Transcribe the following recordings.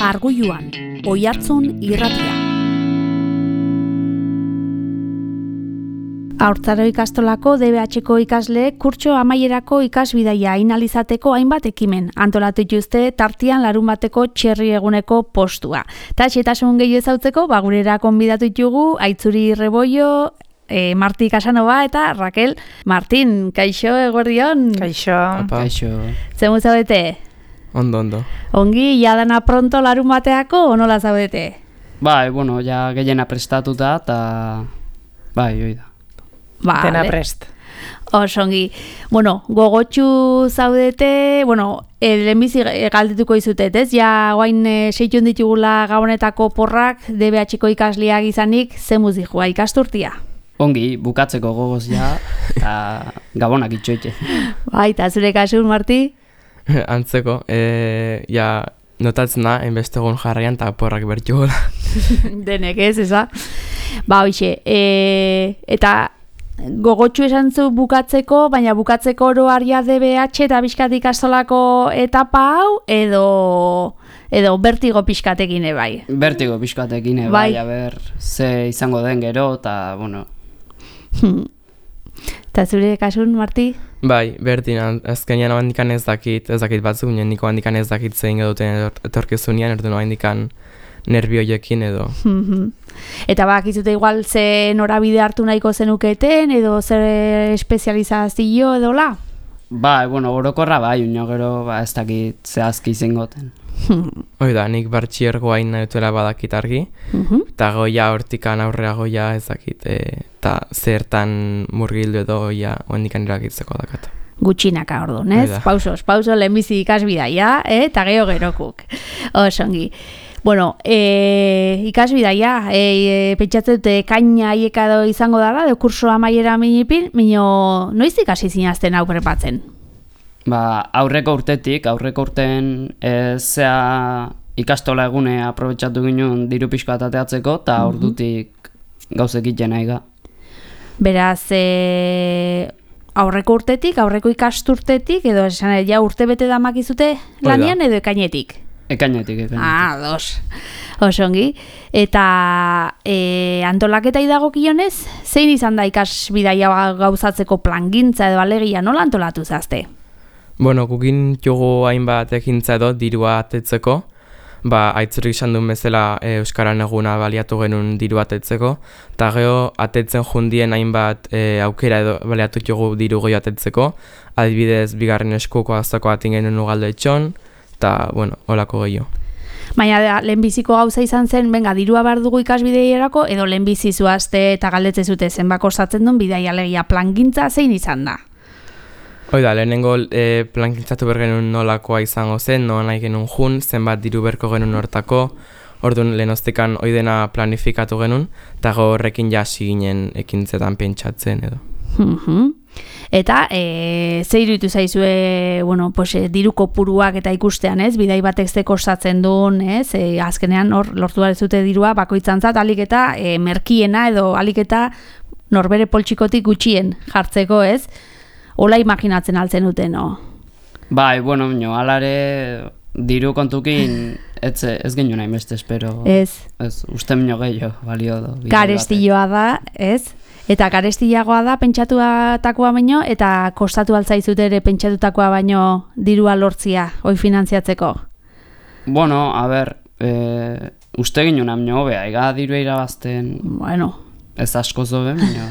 Arguluan, Oihartzun irratia. Haurtzaro ikastolako DBH-ko ikasleek kurtso amaierako ikasbidaia ainalizateko hainbat ekimen antolatu dituzte tartean larunbateko txerri eguneko postua. Ta xehetasun gehiago ezautzeko, gurera konbidatu ditugu Aitzuri Rebollo, Marti Casanova eta Raquel Martin. Kaixo, eguerdion? Kaixo. Kaixo. Zemu zaudete? Ondo. Ongi, jadana pronto larunbateako, nola zaudete? Bai, bueno, ja gehiena prestatuta eta bai, oida. Dena prest. Osongi. Bueno, gogotxu zaudete, lehenbizi galdetuko izutet, ez? Ja, guain seitun ditugula gabonetako porrak, DBH-ko ikasleak izanik, zemuz dihua ikasturtia? Ongi, bukatzeko gogoz ja, eta gabonak itxoite. Bai, eta zure kasun, Marti? Antzeko, notatzen da, enbestegun jarraian eta porrak bertu gola. Denek ez, eza? Hoxe, eta gogotxu esan zu bukatzeko, baina bukatzeko oroaria DBH eta pixkat ikastolako etapa hau, edo bertigo pixkatekin bai? Bertigo pixkatekin bai, ze izango den gero, eta, bueno. Eta zure kasun, Marti? Bai, berdin, azkenean handikan ez dakit batzuk, niko handikan ez dakit zein eduten etorkizunean, erdun handikan nervioiekin edo. Eta bakizute igual ze norabide hartu nahiko zenuketen, edo zer espezializazio edo la? Bai, orokorra bai, gero ez dakit zehazki zengoten. Oida, nik bartxiergo hain nahi badakit argi, eta goia hortikan aurrera goia ez dakit, eta zertan murgildu edo goia handikan erakitzeko dakat. Gutxinaka orduan, ez? Pauso, lehenbizi ikasbidaia, eta gerokuk. Osongi. Ikasbidaia, pentsatzen dute kaina aiekado izango dara, kurso amaiera minipin, noiz ikasi zinazten hau prepatzen? Aurreko urten zea ikastola egune aprobetxatu ginen diru pixka atateatzeko, eta ordutik gauzek iten nahi. Beraz, aurreko urtetik, aurreko ikasturtetik, edo esan ja urte bete damakizute lanian edo ekainetik? Ekainetik. Dos. Osongi. Eta antolaketa idagokionez, zein izan da ikasbidaia gauzatzeko plangintza edo alegia nola antolatu zazte? Gukin jogu hainbat ekintza edo dirua atetzeko, Aitzuri izan duen bezala Euskaran eguna baliatu genuen dirua atetzeko, eta geho atetzen jundien hainbat aukera edo baliatu jogu diru gehi atetzeko, adibidez bigarren eskuko azako atin genuen ugalde etxon, eta, holako gehiago. Baina, lehenbiziko gauza izan zen, dirua behar dugu ikasbideierako, edo lehenbizi zuazte eta galdetze zute zenbak osatzen duen bidaia alegia plangintza zein izan da? Oida, lehenengo plangintzatu bergenun nolakoa izango zen, noa nahi genuen jun, zenbat diru berko genuen hortako, orduan lehenoztekan oidena planifikatu genuen, eta horrekin jasi ginen ekintzetan pentsatzen edo. Eta, ze iruditu zaizue, diru kopuruak eta ikustean, ez? Bidai batek zeko osatzen duen, ez? Azkenean, lortu dut dirua, bakoitzantzat, alik eta merkiena edo alik eta norbere poltsikotik gutxien jartzeko, ez? Ola imaginatzen altzen duten, no? Bai, alare diru kontukin ez genuen nahi beste, espero. Ez. Uste minio gehiago, balio do. Garestilloa da, ez? Eta garestillagoa da pentsatutakoa baino, eta kostatu altzaizut ere pentsatutakoa baino dirua lortzia, hoi finantziatzeko? Uste genuen amino hobea, ega dirua irabazten... Ez asko zoben, baina...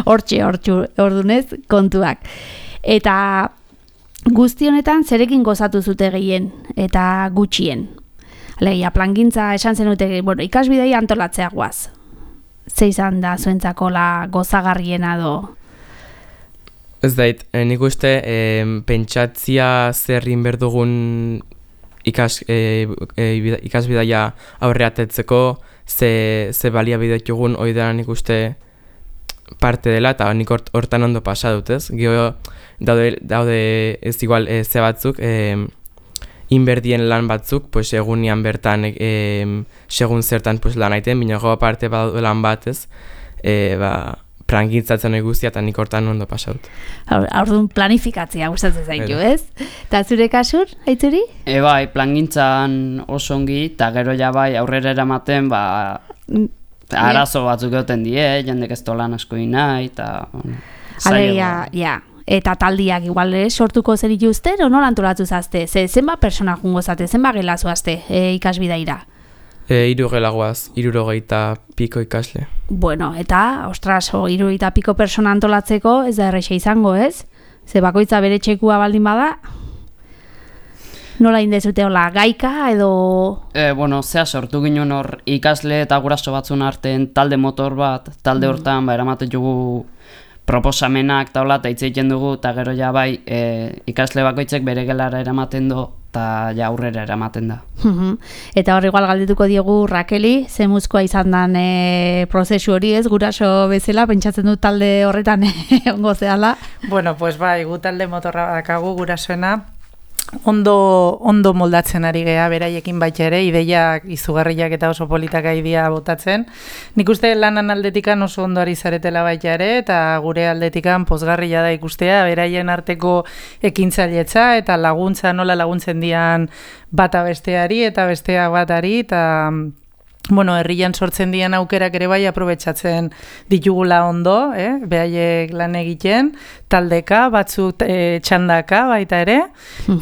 Hortxe, ordunez, kontuak. Eta guzti honetan zerekin gozatu zute gehien eta gutxien. Alegia, plangintza esan zenute, ikasbidei antolatzea guaz. Ze izan da zuentzako gozagarriena do? Ez dait, nik uste pentsatzia zerrin berdugun ikasbidaia aurreatetzeko, ze baliabide jugun oidean nik uste parte dela, eta nik hortan ondo pasa dut, ez? Gio daude ez igual ze batzuk, inberdien lan batzuk, egunean bertan segun zertan lan aiten, bina goa parte badaude lan bat, ez? plangintzatzen guztia eta nik hortan ondo pasaut. Orduan planifikatzea gustatzen zaitu, ez? Eta zure kasur, Aitzuri? Bai, plangintzan oso ongi, eta gero ja bai aurrera eramaten, arazo batzuk egoten die, jendek ez lan asko nahi, eta... Ja. Eta taldiak igual sortuko zer ituzten, o nola antolatu zazte? Zenba persona jungo zate, zenba gelazu azte ikasbidaira? 3 gelagoaz, 60 piko ikasle. Bueno, eta, ostras, 60 piko persona antolatzeko ez da erreixa izango, ez? Ze bakoitza bere txekua baldin bada? Nola indezute hola, gaika edo... Zea sortu ginen hor ikasle eta guraso batzun artean talde motor bat, talde hortan, eramaten jugu proposamenak eta hola, eta hitz egiten dugu, eta gero ja bai ikasle bakoitzek bere gelara eramaten du, eta ja aurrera eramaten da. Eta hor igual galdetuko diogu Rakeli, zemuzkoa izan dan prozesu hori ez, guraso bezala, pentsatzen du talde horretan ongo zehala. Bueno, pues bai, gu talde motorra dakagu gurasoena, ondo moldatzen ari gea beraiekin baita ere, ideiak izugarriak eta oso politak idea botatzen. Nik uste lanan aldetikan oso ondo ari zaretela baita ere, eta gure aldetikan pozgarria da ikustea, beraien arteko ekintzailetza eta laguntza, nola laguntzen dian bata besteari eta bestea batari, eta... herrian sortzen dian aukerak ere bai aprobetxatzen ditugula ondo, behaiek lan egiten, taldeka, batzuk txandaka baita ere,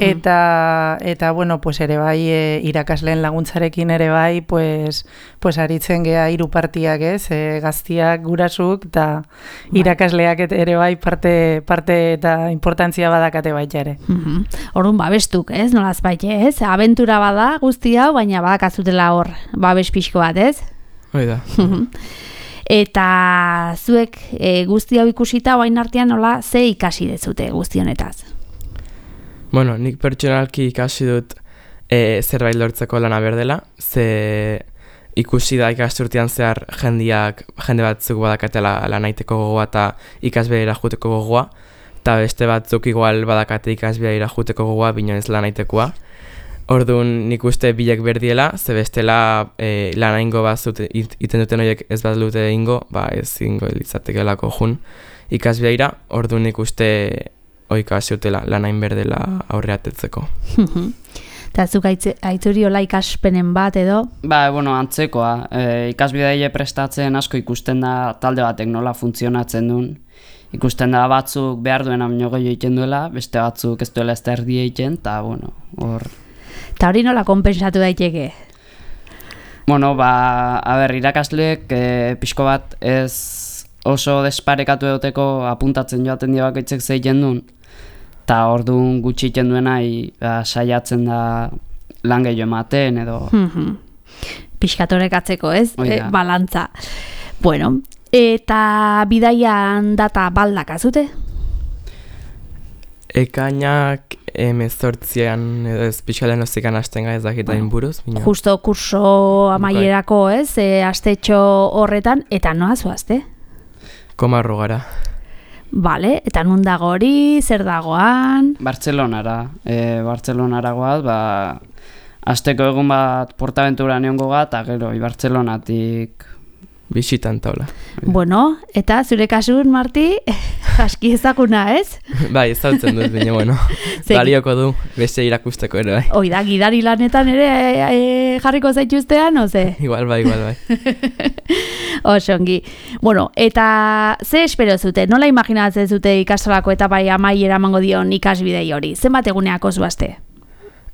eta ere bai irakasleen laguntzarekin ere bai, aritzen gea 3 partiak, gaztiak, gurasuk, eta irakasleak ere bai parte eta importantzia badakate baita ere. Orduan babestuk, ez? Nolaz baite, ez? Abentura bada guzti hau, baina badakazutela hor babes pixko bat, ez? Hoi da. Eta zuek guzti hau ikusita orain artean nola ze ikasi dezute guzti honetaz? Bueno, nik pertsonalki ikasi dut zerbait lortzeko lana berdela, ze ikusi da ikasturtean zehar jende batzuk badakatela lanaiteko gogoa eta ikasbidera joateko gogoa, eta beste batzuk igual badakate ikasbidera joateko gogoa, bino ez lanaitekoa. Orduan nik uste bilek berdiela, ze bestela lana ingo bazut iten duten horiek ez bat dute ingo, ez ingo litzatekelako jun ikasbideira, orduan nik uste oikasiotela lanain berdela aurreatetzeko. Eta zuk Aitzuri hola ikaspenen bat edo? Antzekoa. Ikasbideile prestatzen asko ikusten da talde batek nola funtzionatzen duen. Ikusten da batzuk behar duena baino gehiago egiten duela, beste batzuk ez duela ez da erdi egiten, eta hor... Eta hori nola konpensatu daiteke? Irakasleek pixko bat ez oso desparekatu edoteko apuntatzen joaten dira bakoitzek zeiten duen. Eta orduan gutxi egiten duena saiatzen da lan gehiago ematen edo... Pixkatorek atzeko, ez? Balantza. Bueno, eta bidaian data baldak azute? Ekainak 18an edo ez pixkalen ozikan hasten ez dakitain buruz. Justo kurso amaierako, ez? Astetxo horretan, eta noa zoazte? Komarro gara. Bale, eta nun dago hori, zer dagoan? Bartzelonara. Bartzelonara goaz, asteko egun bat Portaventura neongo bat, eta gero, Bartzelonatik... Bisitan taula. Bueno, eta zure kasun, Marti, aski ezaguna, ez? Bai, ezautzen dut, baina, balioko du, beste irakusteko ere, bai. Oida, gidari lanetan ere jarriko zaituztean, oze? Igual bai. Osongi. Bueno, eta ze espero zute? Nola imaginatzen zute ikastolako etapai amaiera emango dion ikasbidei hori? Zenbat eguneako zuazte?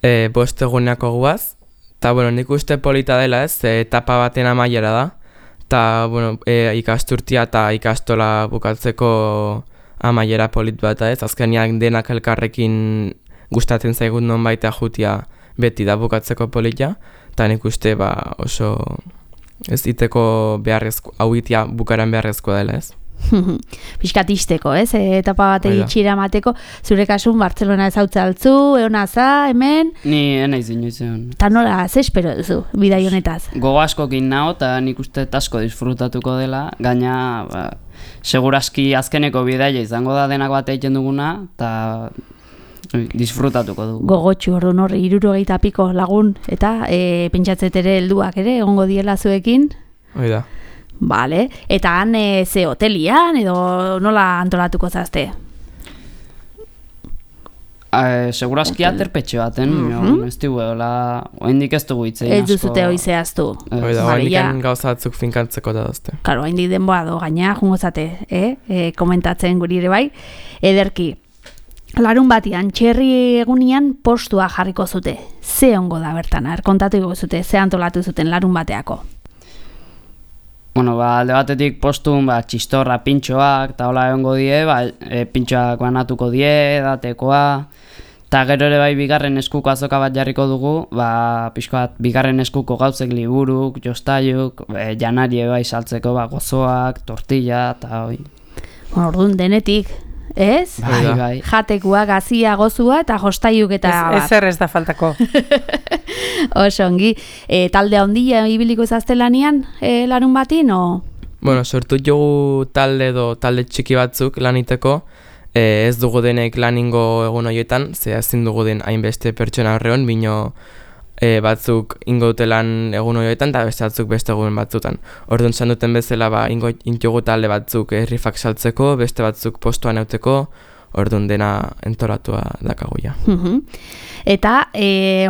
5 eguneako guaz. Eta, nik uste polita dela, ez? Etapa baten amaiera da. Eta, ikasturtia eta ikastola bukatzeko amaiera polit bat, ez? Azkenean denak elkarrekin gustatzen zaigun non baita jutia beti da bukatzeko polita. Eta nik uste oso ez iteko beharrezko, hau itia bukaran beharrezkoa dela, ez? Piskatisteko, ez? Etapa bat egitxira mateko. Zure kasun Bartzelona ezautza altzu, eonaza, hemen? Ni enaiz inoizean. Ta nola, ze espero duzu, bidai honetaz? Gogo askokin nao, eta nik uste asko disfrutatuko dela, gaina seguraski azkeneko bidaia izango da denak bat egiten duguna, eta disfrutatuko dugu. Gogotxu orduan horri 60 piko lagun, eta pentsatzetere helduak ere, egongo diela zuekin? Hoi da. Bale, eta han ze hotelian edo nola antolatuko zazte? Segurazki aterpetxe baten, ez dugu, oendik ez dugu hitzein Ez duzute hoi zehaztu. Oendik gauza batzuk finkantzeko da dazte. Karo, haindik denboa do, gaina, jungozate, komentatzen guri ere bai. Ederki, larun batian, txerri egunian postua jarriko zute. Ze ongo da bertan, kontatu zute, ze antolatu zuten larun bateako? Bueno, alde batetik postun, txistorra pintxoak, eta hola egongo die, pintxoak banatuko die, edatekoa, eta gero ere bai bigarren eskuko azoka bat jarriko dugu, pixko bat bigarren eskuko gauzek liburuk, jostaiuk, janari bai saltzeko, gozoak, tortilla, eta hoi. Bueno, orduan denetik, ez? Bai. Jatekua, gazia, gozua eta jostaiuk eta Ezer ez da faltako. Oso ongi, talde handia ibiliko zazte lanian larun batin, o? Bueno, sortu jogu talde txiki batzuk laniteko, ez dugu denek laningo egun horietan, ze ezin dugu den hainbeste pertsona horreon, bino batzuk ingo dute lan egun horietan, eta beste batzuk beste egun batzutan. Orduan zan duten bezala, ingo jogu talde batzuk rifak saltzeko, beste batzuk postuan euteko, orduan dena entolatua dakagoia. Eta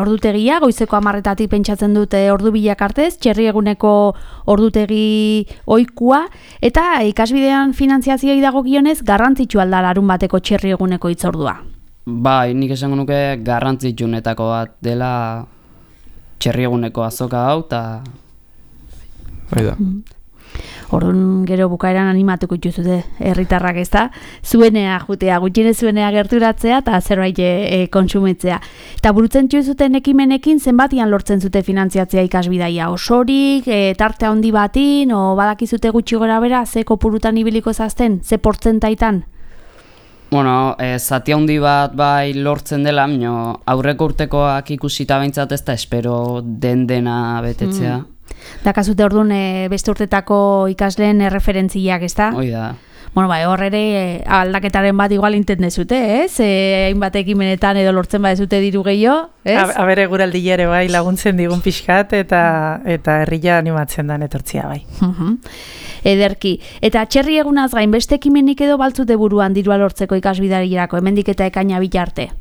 ordutegia, goizeko 10:00 pentsatzen dute ordu bilak artez, txerri eguneko ordutegi ohikoa, eta ikasbidean finantziazioi dagokionez garrantzitsua da larun bateko txerri eguneko hitzordua. Bai, nik esango nuke garrantzitsuenetako bat dela txerri eguneko azoka hau, eta... Hoi da. Orduan gero bukaeran animatuko dituzute herritarrak, ez da? Zuenea jutea, gutxienez zuenea gerturatzea eta zerbait kontsumitzea. Eta burutzen zuten ekimenekin zenbatian lortzen zute finantziatzea ikasbidaia? Osorik, tarte handi batin, o badakizute gutxi gora bera, ze kopurutan ibiliko zazten, ze portzentaitan? Bueno, zati handi bat bai lortzen dela, aurreko urtekoak ikusita behintzat ez da espero dena betetzea. Dakazute orduan beste urtetako ikasleen referentziak, ez da? Hoi da. Bueno, hor ere aldaketaren bat igual intendezute, ez? Hainbat ekimenetan edo lortzen badezute diru gehiago, ez? Abere guraldile ere bai laguntzen digun pixkat eta herria animatzen dan etortzia bai. Ederki. Eta txerri egunaz gain beste ekimenik edo baltzute buruan dirua lortzeko ikasbidarierako, hemendik eta ekaina bitarte?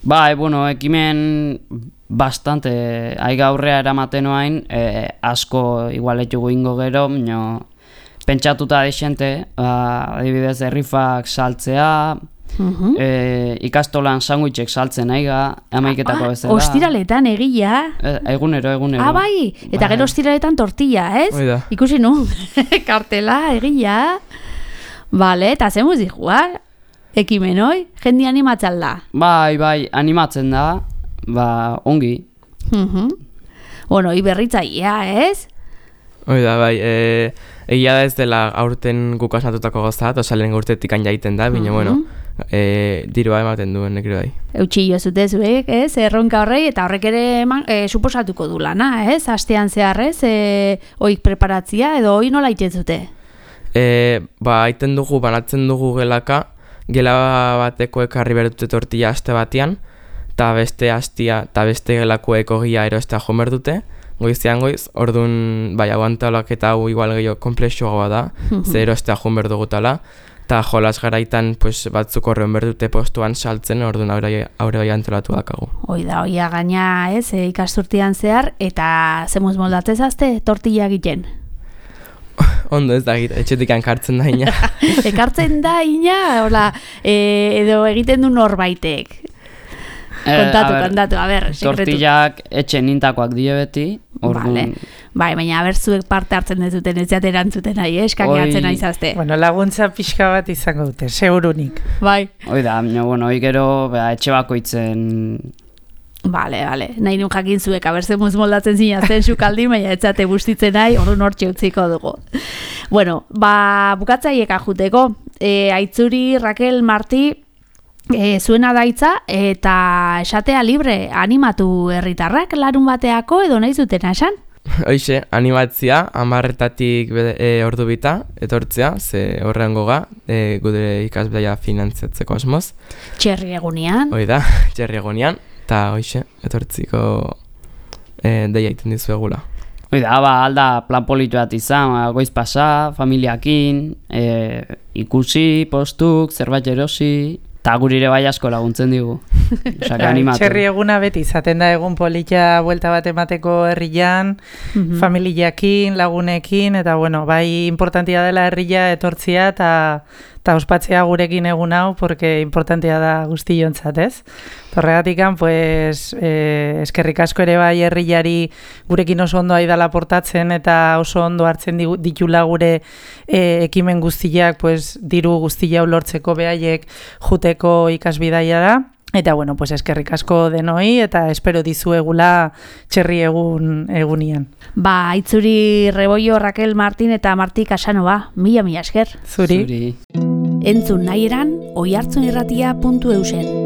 Bueno, ekimen bastante gaurrea eramaten oain, asko igualetugu ingo gero, pentsatuta desente, adibidez errifak saltzea, ikastolan sandwichek saltzen aiga, amaiketako bezala. Ostiraletan egia? Egunero. Bai, eta gero ostiraletan tortilla, ez? Oida. Ikusi nu, kartela, egia. Bale, eta zemuz dihua? Ekimen hoi, jendi animatzen da. Bai, animatzen da, ongi. Bueno, iberritzaia, ez? Oida, bai, egia da ez dela aurten guk asmatutako gozat, osa lehen urtetik jaiten da, bine, bueno, dirua ematen duen nekri bai. Eutxillo zute zuek, ez? Erronka horrei, eta horrek ere suposatuko du lana, ez? Astean zeharrez, oik preparatzia, edo hoi nola iten zute? Aiten dugu, banatzen dugu gelaka, gela bateko ekarri berdute tortilla aste batean, eta beste astia eta beste gelakoek ogia erostea joan berdute, goizean goiz, orduan aguantalak eta hau igual gehiago komplexuagoa da, ze erostea joan berdugutala, eta jolas garaitan batzuk horren berdute postuan saltzen, orduan aurre bai antolatu dakagu. Oida gaina, ez, ikasturtian zehar, eta zemuz moldatzez azte tortilla egiten? Ondo ez da, etxetik ankartzen da ina. Ekartzen da ina, hola, edo egiten du norbaitek. Kontatu, a ber, sekretu. Tortillak etxe nintakoak die beti, orduan... Bai, baina zuek parte hartzen dezuten, ez jate erantzuten nahi, eskaneatzen nahi zazte. Bueno, laguntza pixka bat izango dute, segurunik. Bai. Oida, hoi gero etxe bakoitzen... Bale, nahi nun jakin zuek, zemuz moldatzen zinazten sukaldi, baina etzate bustitzen nahi, orduan hortxe utziko dugu. Bueno, bukatzaieka juteko, Aitzuri, Raquel, Marti, zuena daitza, eta esatea libre, animatu herritarrak larun bateako, edo nahi zutena esan? Hoixe, animatzia, 10:00-tik ordu bita, etortzea, ze horrean goga, gure ikasbidaia finantziatzeko asmoz. Txerri egunean. Oida, txerri egunean. Eta hoixe, etortziko deia iten dizu egula. Oida, alda plan politu bat izan, goiz pasa, familiakin, ikusi, postuk, zerbait erosi, eta gurire bai asko laguntzen digu. Osaka, animatu. Txerri eguna beti izaten da egun polita buelta bat emateko herrian, familiakin, lagunekin, eta bueno, bai importantia dela herria etortzia eta ospatzea gurekin egun hau, porque importantia da guztiontzat, ez? Horregatikan, pues, eskerrik asko ere bai herriari gurekin oso ondo aidala portatzen eta oso ondo hartzen ditula gure ekimen guztiak, pues, diru guztia lortzeko behaiek juteko ikasbidaia da. Eta, bueno, pues eskerrik asko denoi eta espero dizuegula txerri egunian. Ba, Aitzuri Rebollo, Raquel Martin eta Marti Casanova, mila esker. Zuri. Entzun nahi eran, oihartzunirratia.eusen.